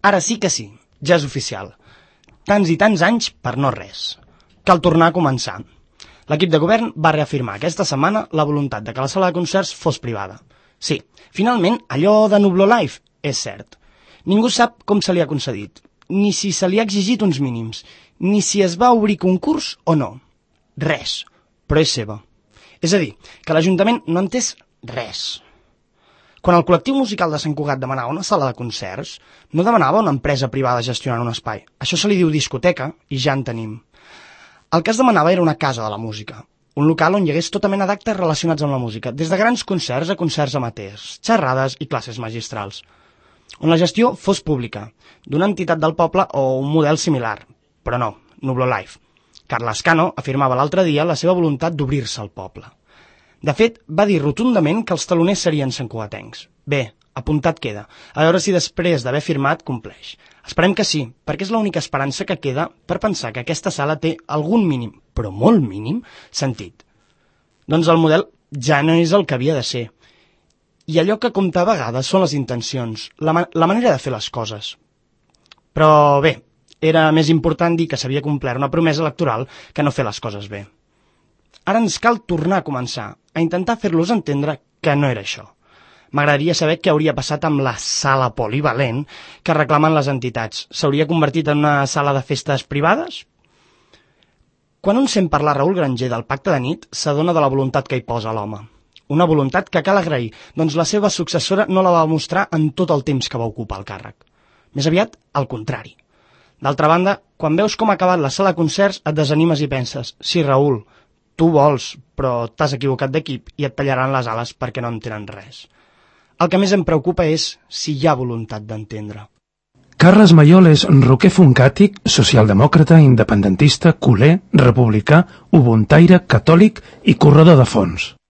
Ara sí que sí, ja és oficial. Tants i tants anys per no res. Cal tornar a començar. L'equip de govern va reafirmar aquesta setmana la voluntat de que la sala de concerts fos privada. Sí, finalment, allò de Nublo Live és cert. Ningú sap com se li ha concedit, ni si se li ha exigit uns mínims, ni si es va obrir concurs o no. Res, però és seva. És a dir, que l'Ajuntament no ha entès res. Quan el col·lectiu musical de Sant Cugat demanava una sala de concerts, no demanava una empresa privada gestionant un espai. Això se li diu discoteca i ja en tenim. El que es demanava era una casa de la música, un local on hi hagués tota mena d'actes relacionats amb la música, des de grans concerts a concerts amateurs, xerrades i classes magistrals, on la gestió fos pública, d'una entitat del poble o un model similar, però no, Nublo Live. Carles Cano afirmava l'altre dia la seva voluntat d'obrir-se al poble. De fet, va dir rotundament que els taloners serien santcugatencs. Bé, apuntat queda, a veure si després d'haver firmat compleix. Esperem que sí, perquè és l'única esperança que queda per pensar que aquesta sala té algun mínim, però molt mínim, sentit. Doncs el model ja no és el que havia de ser. I allò que compta a vegades són les intencions, la manera de fer les coses. Però bé, era més important dir que s'havia complert una promesa electoral que no fer les coses bé. Ara ens cal tornar a començar, a intentar fer-los entendre que no era això. M'agradaria saber què hauria passat amb la sala polivalent que reclamen les entitats. S'hauria convertit en una sala de festes privades? Quan un sent parlar Raül Granger del pacte de nit, s'adona de la voluntat que hi posa l'home. Una voluntat que cal agrair, doncs la seva successora no la va mostrar en tot el temps que va ocupar el càrrec. Més aviat, al contrari. D'altra banda, quan veus com ha acabat la sala de concerts, et desanimes i penses, sí, Raül, tu vols, però t'has equivocat d'equip i et tallaran les ales perquè no entenen res. El que més em preocupa és si hi ha voluntat d'entendre. Carles Mayol és roquer funkàtic, socialdemòcrata, independentista, culer, republicà, ubuntaire, catòlic i corredor de fons.